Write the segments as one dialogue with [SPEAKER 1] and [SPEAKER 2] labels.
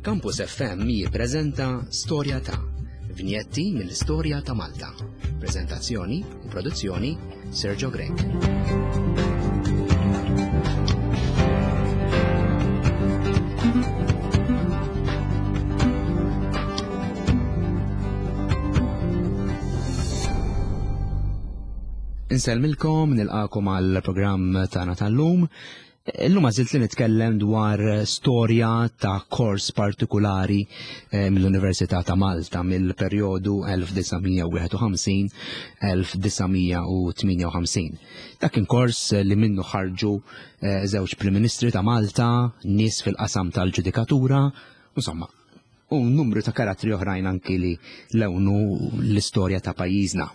[SPEAKER 1] Campus FM jippreżenta Storja ta' Vinjetti mill-istorja ta' Malta. Preżentazzjoni u produzzjoni Sergio Grech. Insellmilkom, nilqakom għal programm tagħna tal-lum. Illum għażilt li nitkellem dwar storja ta' kors partikulari eh, mill-Università ta' Malta mill-perjodu 1951-1958. Dak kien kors li minnu ħarġu eh, żewġ Prim Ministri ta' Malta, nies fil-qasam tal-ġudikatura, insomma, u numru ta' karattri oħrajn anki li lewnu l-istorja ta' pajjiżna.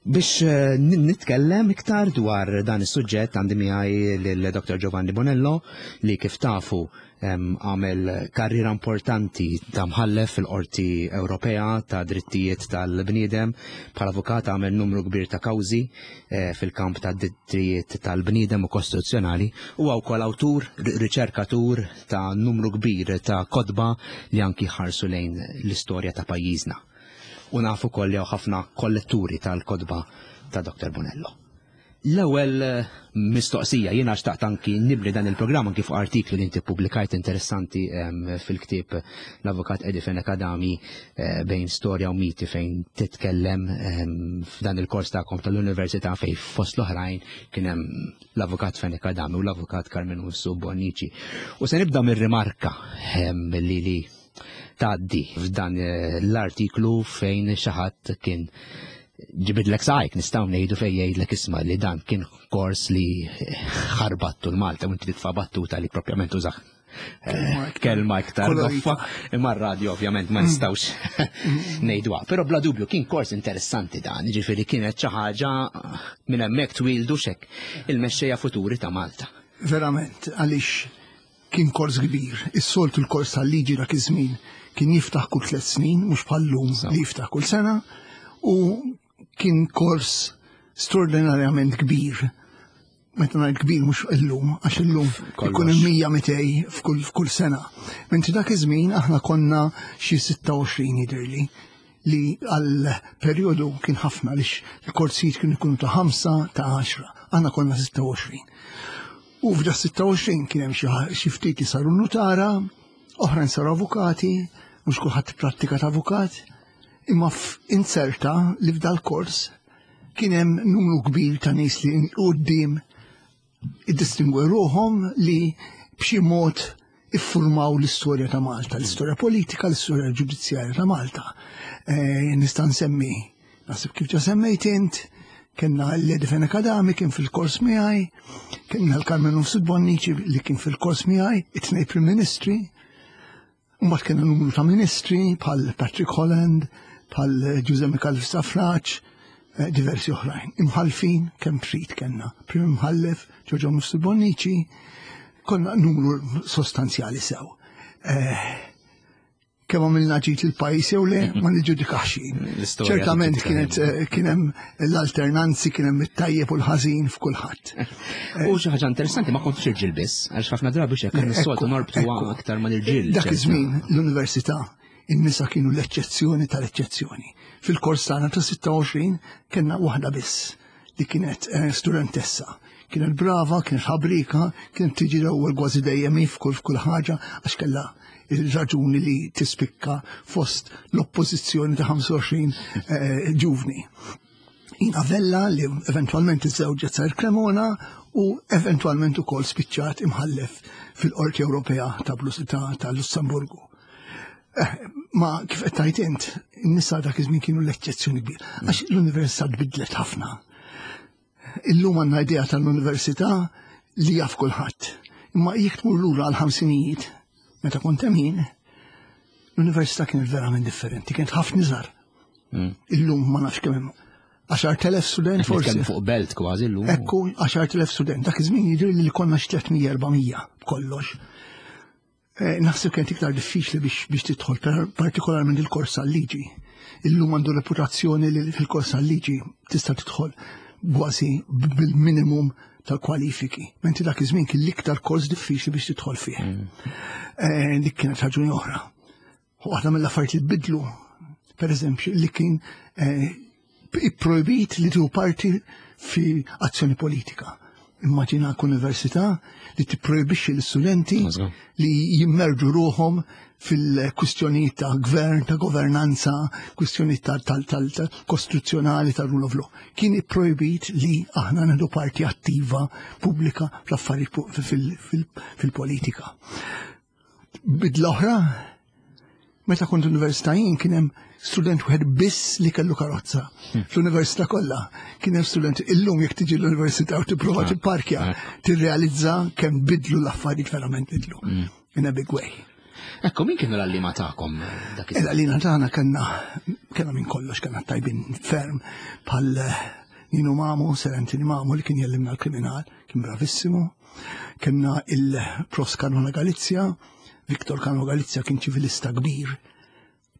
[SPEAKER 1] Biex eh, nitkellem iktar dwar dan is-suġġett għandi miegħi lil Dr. Giovanni Bonello li kif tafu għamel karriera importanti ta' mħallef fil-Qorti Ewropea ta' Drittijiet tal-Bniedem bħala avukat għamel numru kbir ta' kawżi eh, fil-kamp ta' drittijiet tal-bniedem u kostituzzjonali huwa wkoll awtur, riċerkatur ta' numru kbir ta' kotba li anki ħarsu lejn l-istorja ta' pajjiżna. U nafu wkoll li ħafna kolletturi tal-kotba ta' Dr. Bonello. L-ewwel eh, mistoqsija jiena xtaqt anki nibni dan il-programm anki fuq artiklu li inti pubblikajt interessanti ehm, fil-ktieb l-avukat Eddie Fenech Adami eh, bejn storja u miti fejn titkellem ehm, f'dan il-kors tagħkom tal-università fejn fost l-oħrajn kien hemm l-avukat Fenech Adami u l-avukat Carmen Ussu Bonnici. U se nibda mir-rimarka ehm, li li tgħaddi f'dan eh, l-artiklu fejn xi ħadd kien ġibidlek saqajk nistgħu ngħidu fejn jgħidlek isma' li dan kien kors li ħarbattu l-Malta u inti titfa' battuta li propjament użaħ eh, kelma iktar goffa, imma r-radio ovvjament ma mm. nistgħux ngħidwa. Però bla dubju kien kors interessanti dan, ġifieri kienet xi ħaġa minn hemmhekk twildu xek il-mexxejja futuri ta' Malta.
[SPEAKER 2] Verament, għaliex Kien kors kbir. Is-soltu l-kors tal-liġi dak iż-żmien kien jiftaħ kull tliet snin, mhux bħal-lum li jiftaħ kull sena, u kien kors straordinarjament kbir. Meta ngħid kbir mhux illum, għax illum ikun hemm 100 200 f'kull sena. Mentri dak iż-żmien aħna konna xi 26 jidhirli li għal perjodu kien ħafna lix il-korsijiet kienu jkunu ta' 5 ta' 10, aħna konna 26. U f'da 26 kien hemm xi ftit li saru nutara, oħrajn saru avukati, mhux kulħadd prattika ta' avukat, imma inserta li f'dal kors kien hemm numru kbir ta' nies li quddiem iddistingwe ruħhom li b'xi mod iffurmaw l-istorja ta' Malta, l-istorja politika, l-istorja ġudizzjarja ta' Malta. Eh, nista' nsemmi, naħseb kif ġa semmejt int, kellna l-Lady Fenech Adami kien fil-kors miegħi, kellna l-Carmen Mifsud Bonnici li kien fil-kors miegħi, it-tnej Prim Ministri, mbagħad kellna numru ta' ministri bħal Patrick Holland, bħal Giuseppe Micallef Stafrace, eh, diversi oħrajn. Imħalfin kemm trid kellna. Prim Imħallef, Giorgio Mifsud Bonnici, konna numru sostanzjali sew. Eh, kemm għamilna ġid il-pajjiż jew le ma niġġudikax jien. Ċertament kienet eh, kien hemm l-alternanzi, kien hemm it-tajjeb u l-ħażin f'kulħadd.
[SPEAKER 1] U xi ħaġa interessanti ma kontx irġiel biss, għax ħafna drabi x'hekk is-soltu norbtu aktar ma l-irġiel.
[SPEAKER 2] Dak iż-żmien l-università in-nisa kienu l-eċċezzjoni tal-eċċezzjoni. Fil-kors tagħna ta' 26 kellna waħda biss li kienet eh, studentessa. Kienet brava, kienet ħabrika, kienet tiġi l-ewwel kważi dejjem f'kull f'kull ħaġa għax kellha il-raġuni li tispikka fost l-oppożizzjoni ta' 25 eh, ġuvni. Ina Vella li eventualment iżżewġet Sar Cremona u eventualment ukoll spiċċat imħallef fil-Qorti Ewropea ta', ta, Lussemburgu. Eh, ma kif qed tgħid int, in-nisa dak iż-żmien kienu l-eċċezzjoni kbir. Għax l-università tbidlet ħafna. Illum għandna idea tal-università li jaf kulħadd. Imma jekk tmur lura għal ħamsinijiet, meta kont hemm jien, l-università kienet verament differenti, kienet ħafna iżgħar. Mm. Illum ma nafx kemm hemm 10,000 student forsi.
[SPEAKER 1] Fuq belt kważi llum.
[SPEAKER 2] Ekku, 10,000 student. Dak iż-żmien jidhir li konna xi 300 400 b'kollox. Eh, naħseb kienet iktar diffiċli biex, biex tidħol, partikolarment il-kors tal-liġi. Illum għandu reputazzjoni li fil-kors tal-liġi tista' tidħol kważi bil-minimum tal-kwalifiki. Menti dak iż-żmien kien l-iktar kors diffiċli biex tidħol fih. Eh, dik kienet raġuni oħra. Waħda mill-affarijiet li bidlu, per eżempju, li kien eh, ipprojbit li tieħu parti fi azzjoni politika. Immaġina università li tipprojbixxi l-istudenti li jimmerġu ruħhom fil-kwistjonijiet ta' gvern, ta' governanza, kwistjonijiet tal-kostituzzjonali, tal-rule of law. Kien ipprojbit li aħna nieħdu parti attiva pubblika fl-affarijiet fil-politika. Bidla oħra, meta kont università jien kien hemm student wieħed biss li kellu karozza. Fl-università kollha kien hemm student illum jekk tiġi l-università u tipprova tipparkja, tirrealizza kemm bidlu l-affarijiet verament bidlu. In a big way.
[SPEAKER 1] Ekku, min kienu l-għallima tagħkom
[SPEAKER 2] dak iż L-għallima tagħna kellna kellna minn kollox kellna tajbin ferm bħal Nino Mamo, Sir Anthony Mamo li kien jellimna l-kriminal, kien bravissimu. Kenna il-Prof Caruana Galizia, Victor Caruana Galizia kien ċivilista kbir.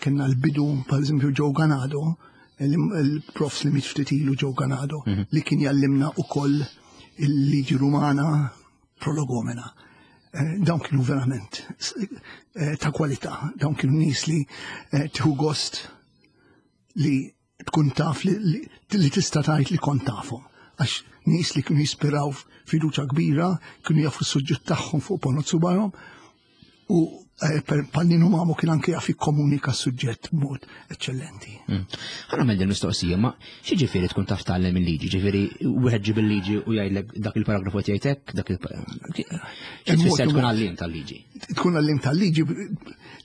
[SPEAKER 2] Kenna l-bidu, per eżempju, Joe Ganado, il-profs li miet ftit ilu Joe Ganado, li kien jallimna u koll il-liġi rumana prolegomena. Eh, dawn kienu verament eh, ta' kwalità, dawn kienu nies li eh, tieħu gost li tkun taf li, li tista' tgħid li kont tafhom. Għax nies li kienu jispiraw fiduċa kbira, kienu jafu s-suġġett tagħhom fuq ponot subajhom u eh, Pallinu Mamu kien anke jaf jikkomunika s-suġġett b'mod eċċellenti.
[SPEAKER 1] Hmm. Ħa nagħmel din mistoqsija, ma xi ġifieri tkun taf tgħallem il-liġi? Ġifieri wieħed ġib il-liġi u jgħidlek dak il-paragrafu qed jgħid hekk, dak il Xi tfisser tkun għalliem tal-liġi?
[SPEAKER 2] Tkun għalliem tal-liġi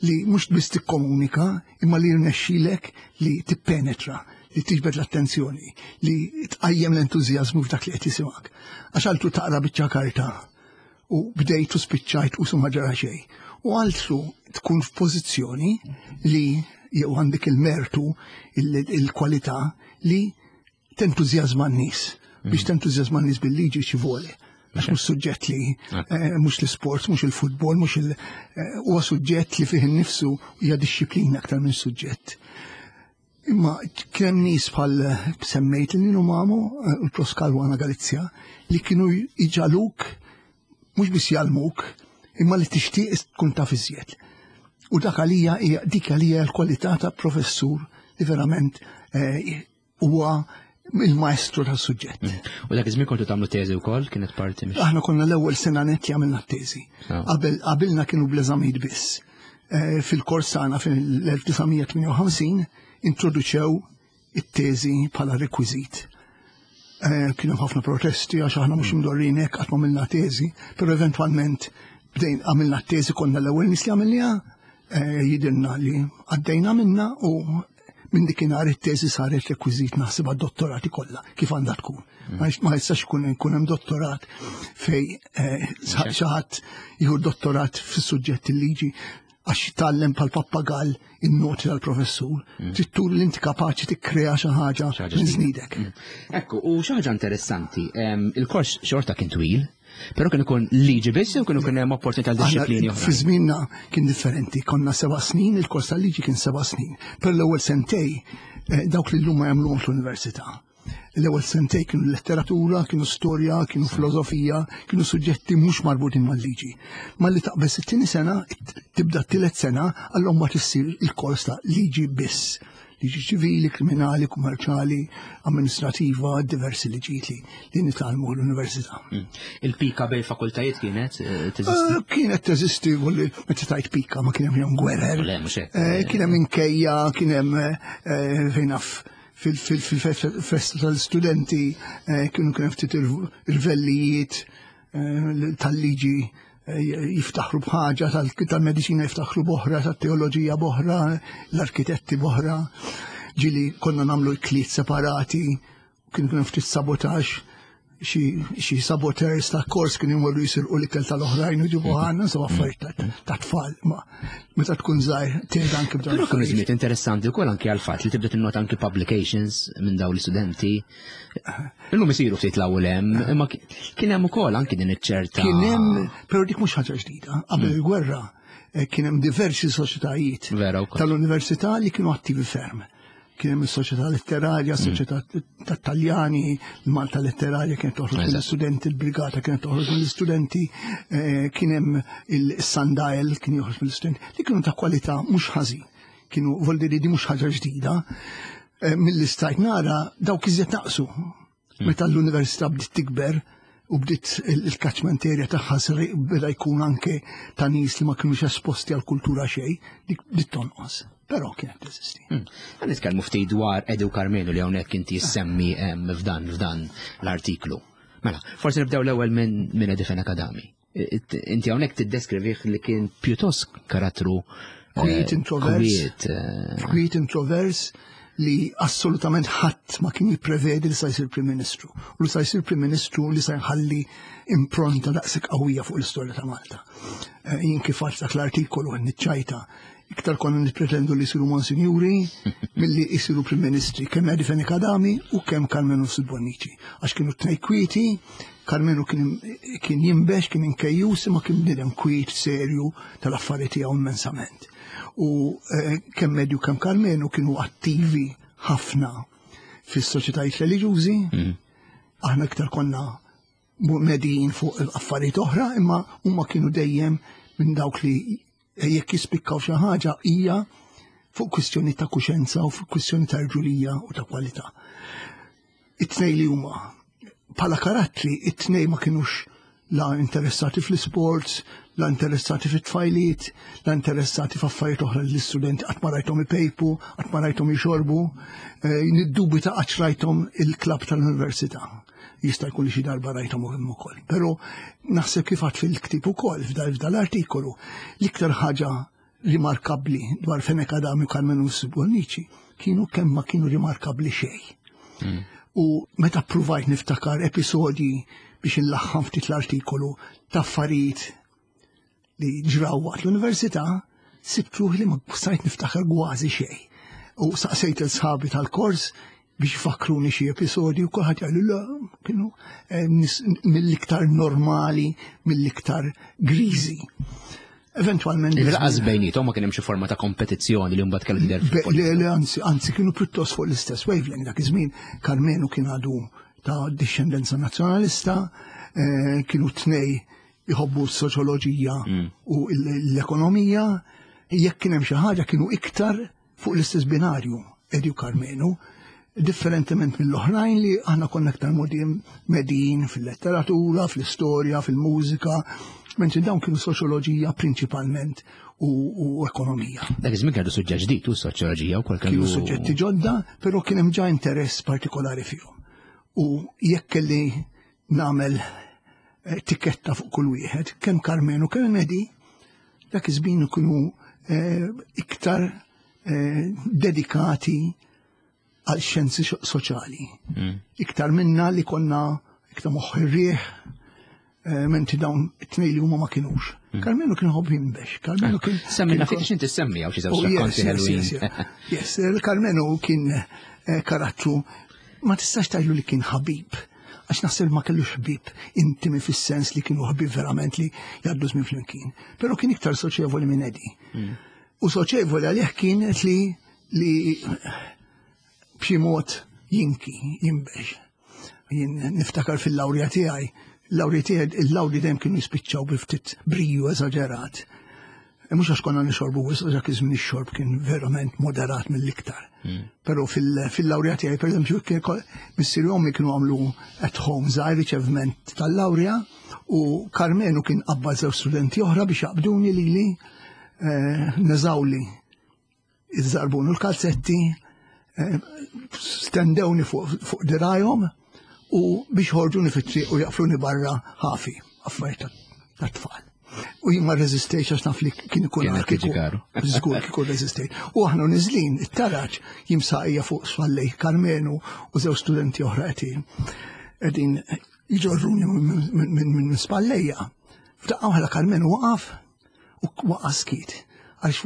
[SPEAKER 2] li mhux biss tikkomunika, imma li jirnexxilek li tippenetra, li tiġbed l-attenzjoni, li tqajjem l-entużjażmu f'dak li qed jisimgħek. Għax altru taqra biċċa karta u bdejt u spiċċajt u ma ġara xejn. U altru tkun f'pożizzjoni li jew għandek il-mertu, il-kwalità li tentużjażma n-nies. Biex mm. tentużjażma n-nies bil-liġi xi voli. Għax mhux suġġett li eh, mhux l-isport, mhux il-futbol, mhux il eh, huwa suġġett li fih innifsu hija dixxiplina aktar minn suġġett. Imma kemm nies bħal eh, semmejt li mamu il-Prof Caruana Galizja li kienu iġaluk mhux biss jgħallmuk, imma li tixtieq tkun taf iżjed. U dak għalija dik għalija l-kwalità ta' professur li verament huwa il-maestru tas-suġġett. Mm.
[SPEAKER 1] U dak iż-żmien kontu tagħmlu teżi wkoll kienet parti
[SPEAKER 2] minn. Aħna konna l-ewwel sena nett li għamilna t-teżi. Ah. Qabel qabilna kienu bl-eżamijiet biss. Eh, fil-kors tagħna fil-1958 introduċew it-teżi bħala rekwiżit. Eh, kienu ħafna protesti għax aħna mhux mm. imdorrin hekk qatt ma għamilna teżi, però eventwalment bdejn għamilna t-teżi konna l-ewwel nies li għamilniha Eh, jidilna li għaddejna minna u minn dikinhar it-teżi saret rekwiżit naħseb għad-dottorati kollha kif għandha tkun. Mm. Ma jistax ikun ikun hemm dottorat fej eh, xi ħadd jieħu dottorat fis-suġġett il-liġi għax jitgħallem pal pappagall in-noti tal-professur, mm. trid tur li inti kapaċi tikkrea xi ħaġa minn żnidek. Mm.
[SPEAKER 1] Ekku, u xi ħaġa interessanti, il-kors xorta kien twil, Però kien ikun liġi biss jew kienu kien hemm opportunità għal dixxiplini oħra?
[SPEAKER 2] Fi żmienna kien differenti, konna seba' snin, il-kors tal-liġi kien seba' snin. Per l-ewwel sentej eh, dawk li llum ma jagħmluhomx l-università. L-ewwel sentej kienu letteratura, kienu storja, kienu filosofija, kienu suġġetti mhux marbutin mal-liġi. Malli taqbeż it-tieni sena, tibda t-tielet sena, allura ma tissir il-kors ta' liġi biss liġi ċivili, kriminali, kummerċali, amministrativa, diversi liġijiet li, li nitgħallmu l-università. Mm.
[SPEAKER 1] Il-pika bej fakultajiet kienet eh, teżisti?
[SPEAKER 2] Eh, kienet teżisti, volli meta tajt pika ma kien hemm gwerer. Eh, kien hemm inkejja, kien hemm fejn naf fil-festa tal-studenti kienu kien ftit irvellijiet tal-liġi jiftaħru b'ħaġa, tal-medicina jiftaħru b'oħra, tat-teoloġija b'oħra, l-arkitetti b'oħra. Ġili konna namlu l-kliet separati, kien kien ftit sabotaġġ, xi saboters ta' kors kien imorru jisirqu l-ikel tal-oħrajn u ġibu għanna, insomma affarijiet ta' tfal. Ma meta tkun żgħir tgħid
[SPEAKER 1] anke b'dan. Però kienu żmiet interessanti wkoll anke għall-fatt li tibda tinnota anke publications minn dawn l-istudenti. Illum isiru ftit l-ewwel hemm, imma kien hemm ukoll anki din iċ-ċerta.
[SPEAKER 2] Kien hemm, però dik mhux ħaġa ġdida. Qabel mm. il-gwerra eh, kien hemm diversi soċjetajiet tal-università li kienu attivi ferm. Kien hemm is-Soċjetà Letterarja, Soċjetà tat-Taljani, il-Malta Letterarja kienet toħroġ mill-istudenti, il-Brigata kienet toħroġ mill-istudenti, eh, kien hemm il-Sundial kien joħroġ mill-istudenti, li kienu ta' kwalità mhux ħażin. Kienu voldiri di mhux ħaġa ġdida. Eh, mill-istajt nara dawk iżjed naqsu. Meta l-università bdiet tikber u bdiet il-catchment area tagħha beda jkun anke ta' nies li ma kinux esposti għal kultura xejn, dik bdiet tonqos. Però kienet teżisti.
[SPEAKER 1] Hmm. Għan nitkellmu ftit dwar Edu Karmenu li hawnhekk inti jissemmi f'dan f'dan l-artiklu. Mela, forsi nibdew l-ewwel minn min Eddie Fenech Adami. Inti hawnhekk tiddeskrivih li kien pjuttost karattru
[SPEAKER 2] eh, kwiet introvers. Eh. Kwiet introvers li assolutament ħadd ma kien jipprevedi li sa jsir Prim Ministru. U li sa jsir Prim Ministru li sa jħalli impronta daqshekk qawwija fuq l-istorja ta' Malta. Eh, jien kif għadt dak l-artikolu niċċajta iktar konna nippretendu li jsiru monsinjuri milli jsiru Prim Ministri, kemm Eddie Fenech Adami u kemm Karmenu Bonnici. Għax kienu tnej kwieti, Karmenu kien jimbex, kien inkejjus, imma kien bniedem kwiet, serju tal-affari tiegħu immensament. U eh, kemm Eddie u kemm Karmenu kienu attivi ħafna fis-soċjetajiet reliġjużi, mm. aħna iktar konna medijin fuq affarijiet oħra, imma huma kienu dejjem minn dawk li jekk jispikkaw xi ħaġa hija fuq kwistjoni ta' kuxenza u fuq kwistjoni ta' rġulija u ta' kwalità. It-tnej li huma bħala karattri it-tnej ma kinux la interessati fl-sports, la interessati fit-tfajliet, la interessati f'affarijiet oħra li l-istudenti qatt ma rajthom ipejpu, qatt ma rajthom jixorbu, eh, niddubita qatt rajthom il-klabb tal-università. Jista' jkun li xi darba rajthom hemm ukoll. Però naħseb kif għad fil-ktieb ukoll f'dal l-artikolu l-iktar ħaġa rimarkabbli dwar Fenech Adami u Carmenu Bonnici kienu kemm ma kienu rimarkabbli xejn. Hmm. U meta ppruvajt niftakar episodji biex inlaħħam ftit l-artikolu ta' affarijiet li ġraw waqt l-università, sibt ruħi li ma stajt niftakar kważi xejn. U saqsejt il-sħabi tal-kors biex ifakruni xi episodji u kulħadd jgħidu la kienu eh, mill-iktar normali, mill-iktar griżi. Eventualment.
[SPEAKER 1] Il-qas bejnietom ma kien hemm xi forma ta' kompetizzjoni li mbagħad kellu tidher
[SPEAKER 2] Le, le, anzi, anzi kienu pjuttost fuq l-istess wavelength dak iż-żmien Karmenu kien għadu ta' discendenza nazzjonalista, eh, kienu tnej jħobbu s-soċjoloġija mm. u l-ekonomija, jekk kien hemm xi ħaġa kienu iktar fuq l-istess binarju Eddie u Karmenu, differentement mill-oħrajn li aħna konna iktar medin fil-letteratura, fl-istorja, fil-mużika, mentri dawn kienu soċjoloġija prinċipalment u, u ekonomija.
[SPEAKER 1] Dak iż-żmien kellu suġġett ġdid u soċjoloġija wkoll
[SPEAKER 2] kellu. Kienu suġġetti ġodda, però kien hemm ġa interess partikolari fihom. U jekk kelli nagħmel eh, tikketta fuq kull wieħed, kemm Karmenu kemm Medi, dak iż-żmien ikunu eh, iktar eh, dedikati għal xjenzi soċjali. Mm. Iktar minna li konna iktar moħħ ir-rieħ, menti dawn it-tnej li huma ma kinux. Mm. Karmenu kien ħobb jinbex, Karmenu kien.
[SPEAKER 1] Semmina ftit x'inti semmi hawn xi żewġ oh,
[SPEAKER 2] rakkonti ħelwin. Yes, Karmenu kien karattru ma tistax tgħidlu li kien ħabib għax naħseb ma kellux ħbieb intimi fis-sens li kienu ħbieb verament li jgħaddu żmien flimkien. Però kien iktar soċjevoli minn Eddie. Mm. U soċjevoli għalih kienet li li b'xi mod jinki, jinbex. Jien niftakar fil-lawrja tiegħi, l-lawrja tiegħi, il-lawrji dejjem kienu jispiċċaw bi ftit briju eżaġerat. E mhux għax konna nixorbu wisq dak iż-żmien ix-xorb kien verament moderat mill-iktar. Hmm. Però fil-lawrja tiegħi pereżempju missieri ommi kienu għamlu at home żgħir riċevment tal-lawrja u Karmenu kien qabba żewġ studenti oħra biex jaqbduni lili eh, neżawli iż-żarbun u l-kalzetti eh, stendewni fuq dirajhom u biex ħorġuni fit-triq u jaqfluni barra ħafi affarijiet tat-tfal. U jien ma reżistejx għax naf li kien ikun
[SPEAKER 1] kieku.
[SPEAKER 2] Żgur kieku reżistejt. U aħna niżlin it-taraġ jimsaqija fuq spallej Karmenu u żewġ studenti oħra qegħdin qegħdin jġorruni minn spallejja. F'daqqa waħda Karmenu waqaf u waqa' skiet. Għax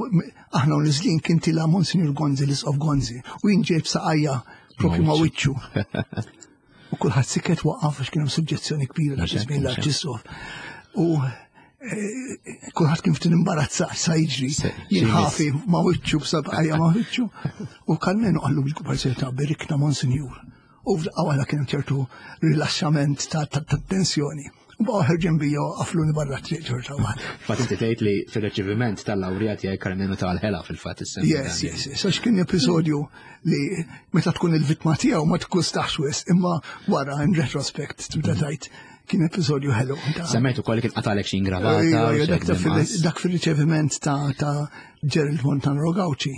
[SPEAKER 2] aħna u niżlin kien tila Monsignor Gonzi, l-Isqof Gonzi, u jien ġejb saqajja propju ma' wiċċu. U kulħadd siket waqaf għax kien hemm suġġezzjoni kbira dak iż-żmien l-Arċisqof. U eh, Kulħadd kien ftit imbarazzat sa jiġri. Jien ħafi ma' wiċċu b'sabqajja ma' wiċċu. U Karmenu qallu bil-kbar serjetà berikna Monsinjur. U f'daqqa waħda kien ċertu rilaxxament ta' tensjoni. U baqgħu ħerġin bija u qafluni barra triq ċerta waħda.
[SPEAKER 1] Fatt inti tgħid li fir-riċeviment tal-lawrija tiegħi Karmenu tal-ħela fil-fatt is
[SPEAKER 2] Yes, yes, yes. Għax kien episodju li meta tkun il-vittma tiegħu ma tkustax wisq, imma wara in retrospect tibda tgħid kien episodju ħelu.
[SPEAKER 1] Semmejt ukoll kien qatalek xi ingravata.
[SPEAKER 2] Dak fil-riċeviment ta' Gerald Montano Gauci.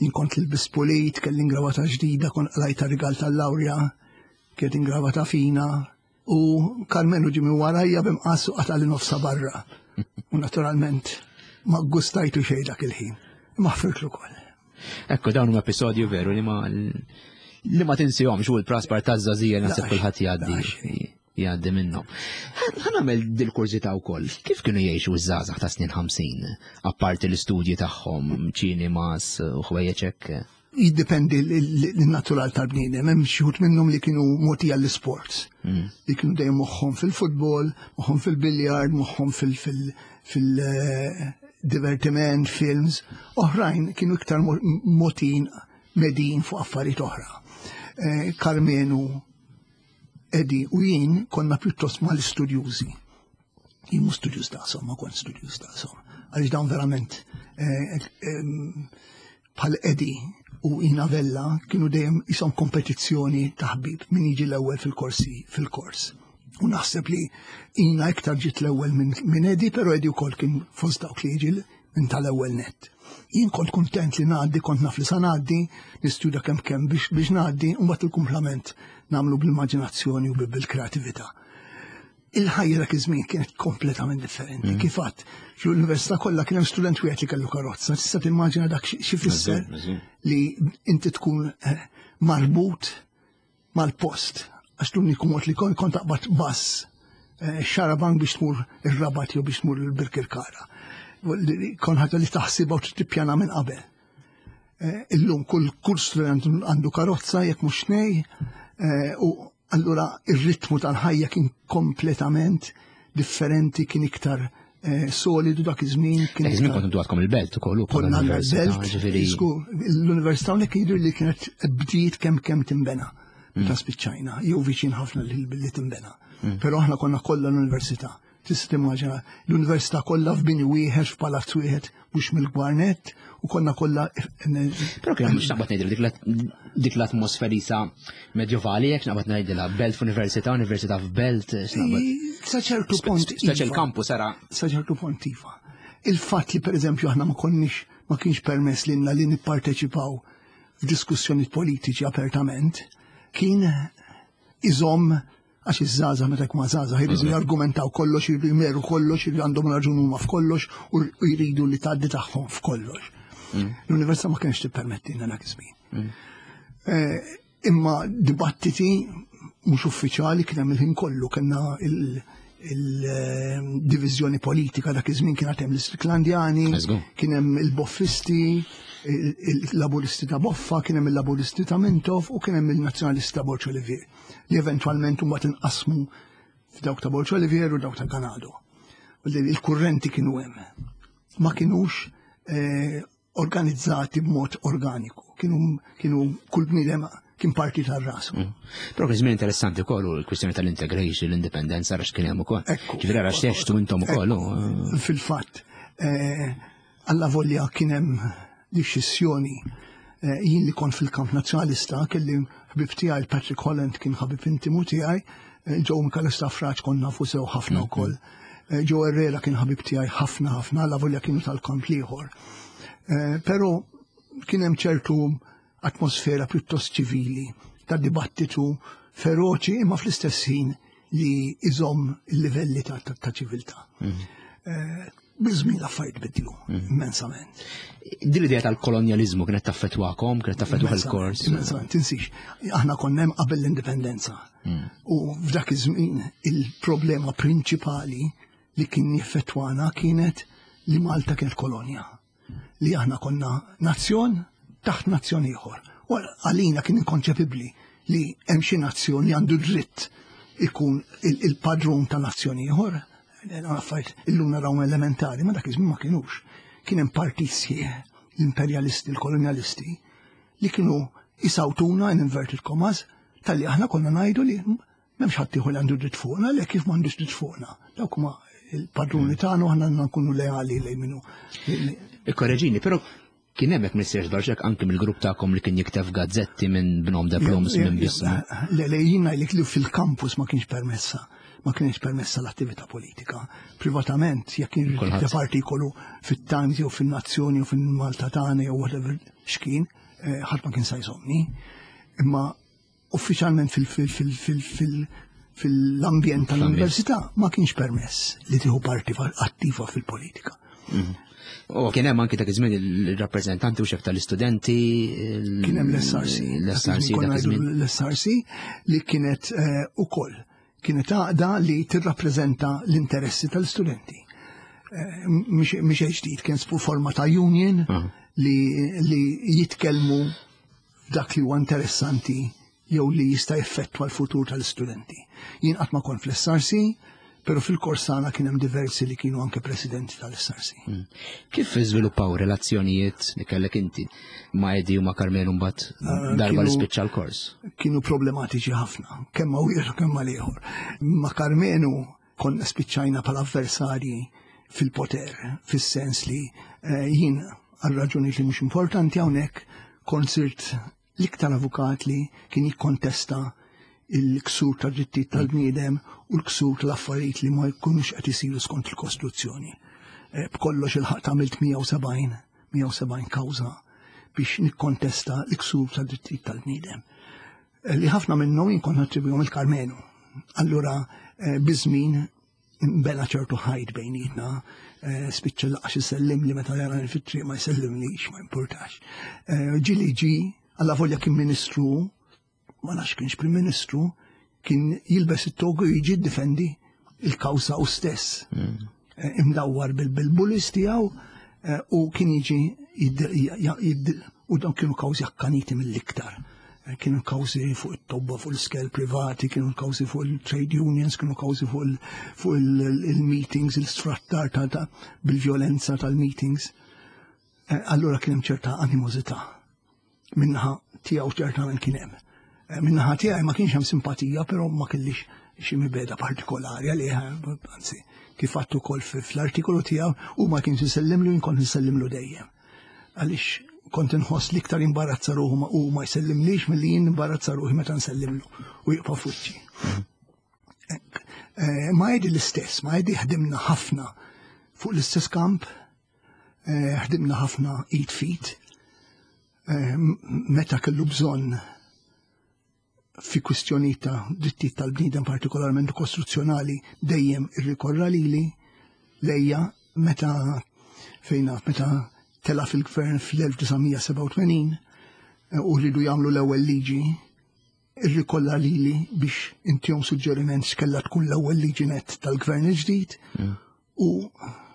[SPEAKER 2] Jien kont l-bis pulit, kelli ingravata ġdida, kon qlajta rigal tal-lawrja, kienet ingravata fina, u Karmenu ġie minn warajja b'imqass u qatali nofsa barra. U naturalment ma gustajtu xejn dak il-ħin. Imma ħfirtlu ukoll.
[SPEAKER 1] Ekku dawn huma episodju veru li ma li ma tinsihomx u l-praspar taż-żagħżija naħseb kulħadd jgħaddi jgħaddi minnhom. Ħa nagħmel dil-kurżità wkoll. Kif kienu jgħixu ż-żgħażagħ ta' snin 50, apparti l-istudji tagħhom, ċinemas u ħwejjeġ hekk?
[SPEAKER 2] Jiddependi l-natural tal-bniedem, hemm xi wħud minnhom li kienu mogħtija l-isports. Li kienu dejjem moħħhom fil-futbol, moħħhom fil-biljard, moħħhom fil-divertiment, films. Oħrajn kienu iktar mogħtijin medin fuq affarijiet oħra. Karmenu, Eddie u jien konna pjuttost mal-istudjużi. Jien mhux studjuż daqshom, ma kont studjuż daqshom. Għaliex dawn verament bħal Eddie u Ina Vella kienu dejjem jisom kompetizzjoni ta' ħbib min jiġi l-ewwel fil-korsi fil-kors. U naħseb li Ina iktar ġiet l-ewwel minn Eddie, però Eddie wkoll kien fost dawk li jiġi minn tal-ewwel nett. Jien kont kuntent li ngħaddi, kont naf li sa ngħaddi, nistudja kemm kemm biex biex ngħaddi, u mbagħad il-kumplament nagħmlu bl-immaġinazzjoni u bil-kreatività. Il-ħajja dak iż-żmien kienet kompletament differenti. Kif għadt, fl-università kollha kien hemm student wieħed li kellu karozza, tista' timmaġina dak xi fisser li inti tkun eh, marbut mal-post, għax l-uniku mod li kont kont taqbad bass eh, xarabank biex tmur ir-Rabat jew biex tmur il-Birkirkara. Kon ħaġa li taħsibha u tippjana minn qabel. Eh, illum kull kull student għandu karozza jekk mhux tnej, eh, u allura ir-ritmu tal-ħajja kien kompletament differenti, kien iktar solidu dak iż-żmien.
[SPEAKER 1] Kien iż-żmien kontu għadkom il-belt ukoll
[SPEAKER 2] ukoll. Konna l-belt, l-università hawnhekk jidher li kienet bdiet kemm kemm timbena meta spiċċajna, jew viċin ħafna li timbena. Però aħna konna kollha l-università. Tista' timmaġina l-università kollha f'bini wieħed, f'palazz wieħed, mhux mill-gwarnet, u konna kollha.
[SPEAKER 1] Però kien mhux naqbad ngħidilha dik l-atmosferi sa medjovali, jekk naqbad ngħidilha belt f'università, università f'belt,
[SPEAKER 2] Sa ċertu punt.
[SPEAKER 1] Speċi l-kampus era.
[SPEAKER 2] Sa ċertu punt iva. Il-fatt li pereżempju aħna ma konniex ma kienx permess lilna li nipparteċipaw f'diskussjoni politiċi apertament, kien iżomm għax iż-żgħażagħ meta jkunu żgħażagħ jridu jargumentaw kollox, jridu jmeru kollox, jridu għandhom raġun huma f'kollox u jridu li tgħaddi tagħhom f'kollox. L-università ma kienx tippermettilna dak iż-żmien. Imma dibattiti mhux uffiċjali kien hemm il-ħin kollu, kellna il-diviżjoni politika dak iż-żmien kien hemm l-Istriklandjani, kien hemm il-Boffisti, il-Laburisti ta' Boffa, kien hemm il-Laburisti ta' Mintoff u kien hemm il-Nazzjonalisti ta' Borg Olivier, li eventwalment imbagħad inqasmu f'dawk ta' Borg Olivier u dawk ta' Ganado. Il-kurrenti kienu hemm. Ma kinux organizzati b'mod organiku, kienu kull bniedem kien parti tar-rasu.
[SPEAKER 1] Però kien żmien interessanti wkoll u l-kwistjoni tal-integration, l-indipendenza għax kien hemm ukoll. Ġifieri għax teħxtu intom ukoll.
[SPEAKER 2] Fil-fatt, alla volja kien hemm dixxissjoni. Jien li kont fil-kamp nazzjonalista kelli ħbib tiegħi Patrick Holland kien ħabib intimu tiegħi, Joe Micallef Stafrace kont nafu sew ħafna wkoll. Joe Herrera kien ħabib tiegħi ħafna ħafna, alla volja kienu tal-kamp l-ieħor. Però kien hemm ċertu atmosfera pjuttost ċivili ta' dibattitu feroċi imma fl-istess ħin li iżomm il-livelli ta' ċiviltà. Biż-żmien l-affarijiet bidlu immensament.
[SPEAKER 1] Din l-idea tal-kolonjaliżmu kienet taffettwakom, kienet taffettwa il-kors.
[SPEAKER 2] Immensament, tinsix. Aħna konna hemm qabel l-indipendenza. U f'dak iż-żmien il-problema prinċipali li kien jaffettwana kienet li Malta kienet kolonja. Li aħna konna nazzjon taħt nazzjon ieħor. U għalina kien inkonċepibbli li hemm xi nazzjon li għandu dritt ikun il-padrun ta' nazzjon ieħor. Affarijiet illum naraw elementari, ma dak iż-żmien ma kinux. Kien hemm partit sħiħ, l-imperjalisti, l-kolonjalisti, li kienu jisawtuna in inverted commas talli aħna konna ngħidu li m'hemmx ħadd ieħor li għandu dritt fuqna, le kif m'għandux dritt fuqna. Dawk huma il-padruni tagħna u aħna nkunu leali lejn minnu.
[SPEAKER 1] Ikkoreġini, però kien hemm hekk missier żbarxek anki mill-grupp tagħkom li kien jikteb gazzetti minn b'nom de Plums minn bismu.
[SPEAKER 2] Le, le, jien ngħidlek li fil-campus ma kienx permessa, ma kienx permessa l-attività politika. Privatament, jekk kien jikteb artikolu fit-Times jew fin-Nazzjoni jew fil-Malta tagħna jew whatever x'kien, eh, ħadd ma kien sa jżomni. Imma uffiċjalment fil-ambjent tal-università ma kienx permess li tieħu parti attiva fil-politika.
[SPEAKER 1] Mhm. U kien hemm anki dak iż-żmien il-rappreżentanti u xef tal-istudenti.
[SPEAKER 2] Kien hemm l-SRC.
[SPEAKER 1] L-SRC dak iż-żmien.
[SPEAKER 2] L-SRC li kienet eh, ukoll kienet għaqda li tirrappreżenta l-interessi tal-istudenti. Eh, mhix ġdid, kien forma ta' union li jitkellmu f'dak li huwa interessanti jew li jista' jeffettwa l-futur tal-istudenti. Jien qatt ma kont fl-SRC, però fil-kors tagħna kien hemm diversi li kienu anke presidenti tal-SRC.
[SPEAKER 1] Hmm. Kif iżviluppaw relazzjonijiet li kellek inti ma' Edi u ma' Carmenu mbagħad eh, darba li spiċċa l-kors?
[SPEAKER 2] Kienu problematiċi ħafna, kemm ma' wieħed u kemm ma' ieħor. Ma' Carmenu konna spiċċajna bħala avversarji fil-poter, fis-sens li eh, jien għal raġuni li mhux importanti hawnhekk kont sirt l-iktar avukat li kien jikkontesta il-ksur ta' drittijiet tal-bniedem u l-ksur tal-affarijiet li ma jkunux qed isiru skont il-Kostituzzjoni. Eh, b'kollox il-ħaq tagħmilt 170 170 kawża biex nikkontesta l-ksur ta' drittijiet tal-bniedem. Eh, li ħafna minnhom jien kont nattribwihom il-Karmenu. Allura eh, biż-żmien bena ċertu ħajt bejnietna, eh, spiċċa laqax isellim li meta jara fit-triq ma jsellimlix, ma importax. Ġili ġi, alla volja kien ministru, ma nafx kienx prim ministru, kien jilbes it-togu jiġi difendi il-kawsa u stess. Mm. Imdawwar bil-bulis tiegħu u kien jiġi u dawn kienu kawżi akkaniti mill-iktar. Eh, kienu kawżi fuq it-tobba, fuq l-iskel privati, kienu kawżi fuq il-trade unions, kienu kawżi fuq il-meetings, il-sfrattar ta' bil-violenza tal-meetings. Eh, allura kien hemm ċerta animosità. Minnaħa tiegħu ċertament kien hemm. Eh, minnaħa tiegħi ma kienx hemm simpatija, però ma kellix xi mibeda partikolari għalih, anzi, kif għattu ukoll fl-artikolu tiegħu u ma kienx insellimlu jien kont insellimlu dejjem. Għaliex kont inħoss li iktar imbarazza ruħu u ma jsellimlix milli jien imbarazza ruħi meta nsellimlu u jibqa' fuċċi. Eh, ma jedi l-istess, ma jedi ħdimna ħafna fuq l-istess kamp, eh, ħdimna ħafna id fit, eh, meta kellu bżonn fi kwistjonijiet ta' drittijiet tal-bniedem partikolarment kostruzzjonali dejjem irrikorra lili lejja meta fejn naf meta tela fil-gvern fl-1987 eh, u rridu jagħmlu l-ewwel liġi irrikolla lili biex intihom suġġeriment x'kellha tkun l-ewwel liġi net tal-gvern il-ġdid mm. U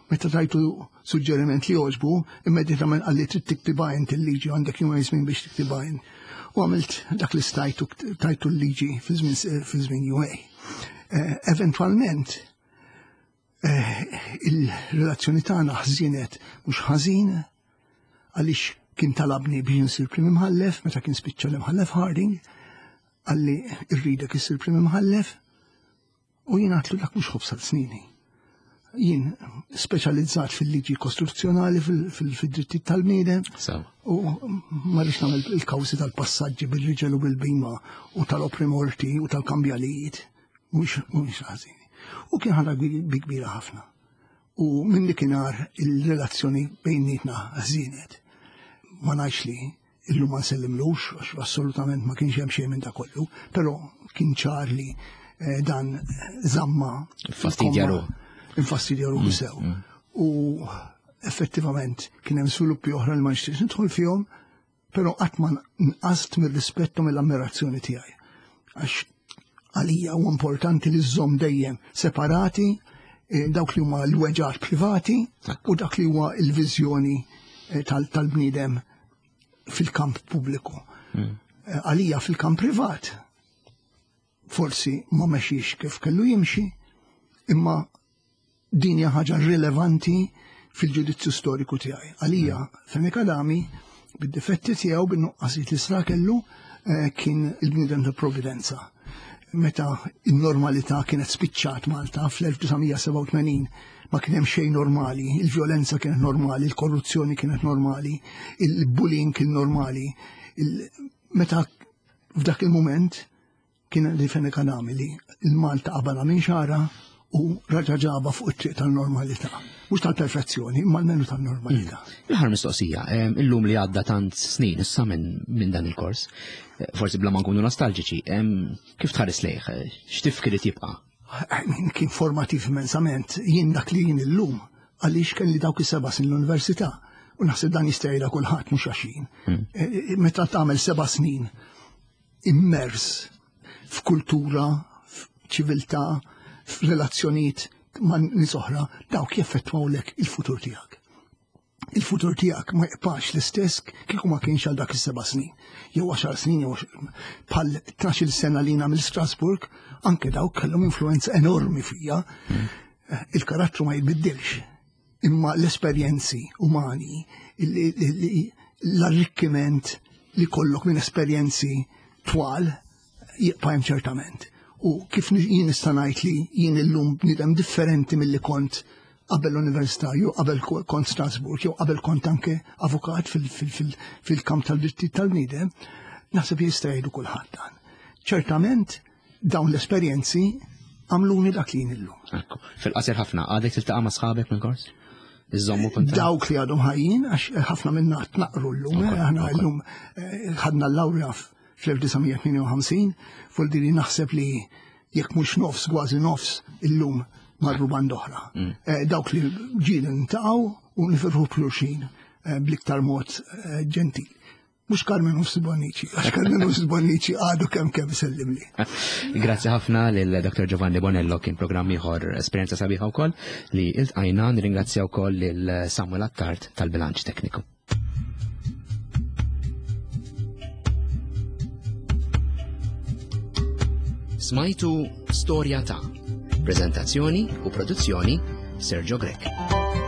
[SPEAKER 2] meta tajtu suġġeriment li jogħġbu, immedjatament qalli trid tiktibha int il-liġi għandek jumejn żmien biex tiktibha int. U għamilt dak li stajtu tajtu l-liġi fi żmien jumej. Eh, eventwalment, eh, il-relazzjoni tagħna ħżinet mhux ħażin għaliex kien talabni biex insir prim imħallef meta kien spiċċa l-imħallef Harding, qalli rridek issir prim imħallef U jien għatlu dak mhux ħobż għal snini. Jien speċjalizzat fil-liġi kostituzzjonali fil-drittijiet tal-bniedem. U ma rridx nagħmel il-kawżi tal-passaġġi bil-riġel u bil-bima u tal-opri morti u tal-kambjalijiet. Mhux ħażin. U kien ħadha bi kbira ħafna. U minn dikinhar il-relazzjoni bejnietna ħżienet. Ma ngħidx li Illum ma nsellimlux, għax assolutament ma kienx hemm xejn minn da kollu, però kien ċar li eh, dan żamma.
[SPEAKER 1] Fastidja ruħu.
[SPEAKER 2] Infastidja ruħu mm, sew. Mm. U effettivament kien hemm sviluppi oħra li ma nixtieqx nidħol fihom, però qatt ma nqast mir-rispett u mill-ammirazzjoni tiegħi. Għax għalija u importanti li żżomm dejjem separati eh, dawk li huma l-weġgħat privati u dak li huwa l-viżjoni eh, tal-bniedem fil-kamp pubbliku. Hmm. Eh, għalija fil-kamp privat forsi ma mexiex kif kellu jimxi, imma Din hija ħaġa rilevanti fil-ġudizzju storiku tiegħi. Għalija, Fenech Adami, bid-difetti tiegħu, bin-nuqqasijiet li sra kellu, eh, kien il-bniedem ta' provvidenza. Meta n-normalità kienet spiċċat Malta fl-1987 ma kien hemm xejn normali, il-vjolenza kienet normali, il-korruzzjoni kienet normali, il-bullying kien normali. Meta f'dak il-moment Kien li Fenech Adami li l-Malta qabala minn xara u raġa ġaba fuq it-triq tal-normalità. Mhux tal-perfezzjoni, imma almenu tal-normalità.
[SPEAKER 1] Mm. L-aħħar mistoqsija, illum li għadda tant snin issa minn dan il-kors, eh, forsi bla ma nkunu nostalġiċi, kif tħares lejh, eh, x'tifkiriet jibqa'?
[SPEAKER 2] Kien formativ immensament, jien dak li jien illum, għaliex kelli dawk is-seba' snin l-università. U naħseb dan jista' jgħidha kulħadd mhux għax jien. Mm. Eh, meta tagħmel seba' snin immers f'kultura, f'ċiviltà, f'relazzjonijiet ma' nies oħra, dawk jeffettwawlek il-futur tiegħek. Il-futur tiegħek ma jibqax l-istess kieku ma kienx għal dak is-seba' snin, jew għaxar snin, jew bħal 12-il sena li mill Strasburg, anke dawk kellhom influenza enormi fija. Mm. Eh, il-karattru ma jitbiddilx, imma l-esperjenzi umani, l-arrikkiment li kollok minn esperjenzi twal jibqa' hemm ċertament. U kif jien nista' ngħid li jien illum bniedem differenti milli kont qabel l-università, jew qabel kont Strasburg, jew qabel kont anke avukat fil-kamp tal-drittijiet tal-bniedem, naħseb jista' jgħidu kulħadd dan. Ċertament dawn l-esperjenzi għamluni dak li jien illum.
[SPEAKER 1] Ekku, fil-qasir ħafna, għadek tiltaqa' ma' sħabek minn kors? Iżommu kuntatt?
[SPEAKER 2] Dawk li għadhom ħajjin, għax ħafna minna tnaqru llum, eh, aħna llum eh, ħadna l-lawrja fl-1958, fuq li naħseb li jekk mhux nofs, kważi nofs illum marru band oħra. Mm. Eh, dawk li ġieli ntaqgħu u nifirħu b'xulxin bl-iktar mod ġentil. Mux Carmen Ufs Bonnici, għax Carmen Ufs Bonnici għadu kem kem sellimli.
[SPEAKER 1] Grazzi ħafna lil Dr. Giovanni Bonello kien programm ieħor esperjenza sabiħa wkoll li iltqajna nirringrazzja wkoll lil Samuel Attard tal-bilanċ tekniku. Smajtu Storja ta' Prezentazzjoni u produzzjoni Sergio Grech.